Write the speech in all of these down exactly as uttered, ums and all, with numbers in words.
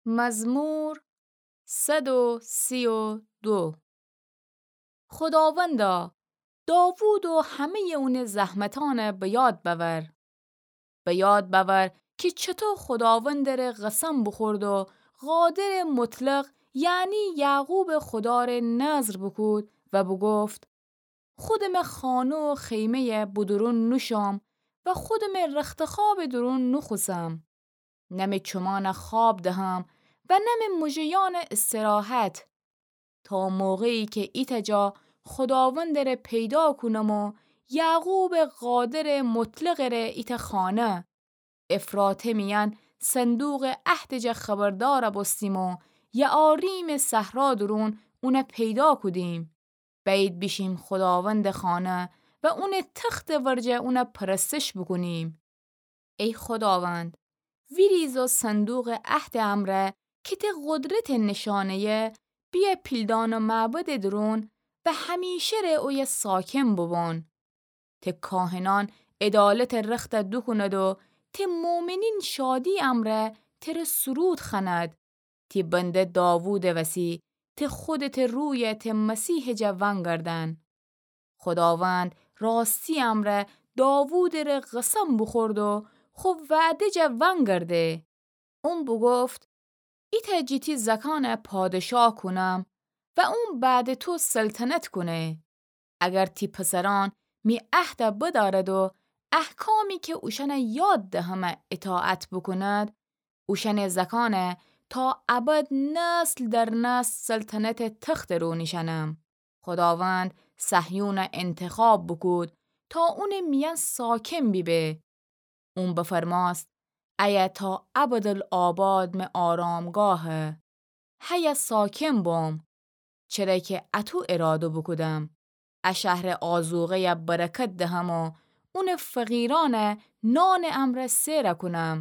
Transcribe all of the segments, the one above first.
مزمور صد و سی و دو. خوداوندا، داوود و همه‌یٚ اونٚ زحمتأنَ به یاد بأور. به یاد بأور کی چطو خوداوندٚره قسم بوخورد و قادرٚ مطلق، یعنی یعقوبٚ خوداره نذر بوکود و بوگفت: خودمٚ خانه و خیمه‌یَ به دورون نوشوم و خودمٚ رختخوابٚ دورون نوخوسم. نه می چومأنَ خواب دهم و نه می موژه‌یأنَ استراحت، تا موقعی کی ایتأ جا خوداوندٚره پیدا کونم و یعقوبٚ قادرٚ مطلقٚره ایتأ خانه، افراته میأن صندوقٚ عهدٚ جا خبردار بوستیم و یعاریمٚ صحرا دورون اونَ پیدا کودیم. بأیید بیشیم خوداوندٚ خانه و اونٚ تختٚ ورجه اونَ پرستش بوکونیم. ای خوداوند، ویریز و صندوقٚ عهدٚ امرأ کی ته قدرتٚ نشانه‌یه، بیأ پیلدان و معبدٚ دورون و همیشه ره اویه ساکن بوبون. ته کاهنأن عدالتٚ رختَ دوکوند و ته مؤمنین شادی امرأ تره سرود خوأند. تی بنده داوودٚ وسی ته خودته رویَ ته مسیحٚ جا ونگردأن. خوداوند راستی امرأ داوودٚره قسم بوخورد و خو وعده جا ونگرده. اون بوگفت: ایتأ جٚه تی زأکأنَ پادشاه کونم و اون بعدٚ تو سلطنت کونه. اگر تی پسرأن می عهدَ بدأرد و احکامی کی اوشأنَ یاد دهمه اطاعت بوکوند، اوشأنٚ زأکأنَ تا ابد نسل در نسل سلطنتٚ تختٚ رو نیشأنم. خوداوند صهیونَ انتخاب بوکود تا اونٚ میأن ساکن بیبه. اون بفرمأست: ایه تا ابدالآباد می آرامگاهه. هیه ساکن بوم، چره کی اطو اراده بوکودم. ا شهرٚ آذوقه‌یَ برکت دهم و اونٚ فقیرأنَ نانٚ امرأ سئر کونم.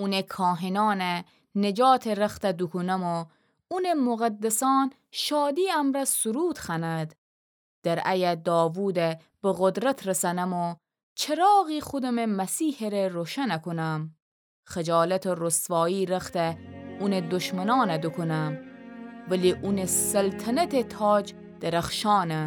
اونٚ کاهنأنَ نجاتٚ رختَ دوکونم و اونٚ مقدسأن شادی امرأ سرود خوأند. درعه‌یَ داوودَ به قدرت رسأنم و چراغی خودمٚ مسیحٚ ره روشن کونم. خجالت و رسوایی رخت اونٚ دشمنأنَ دوکونم، ولی اونٚ سلطنتٚ تاج درخشانه.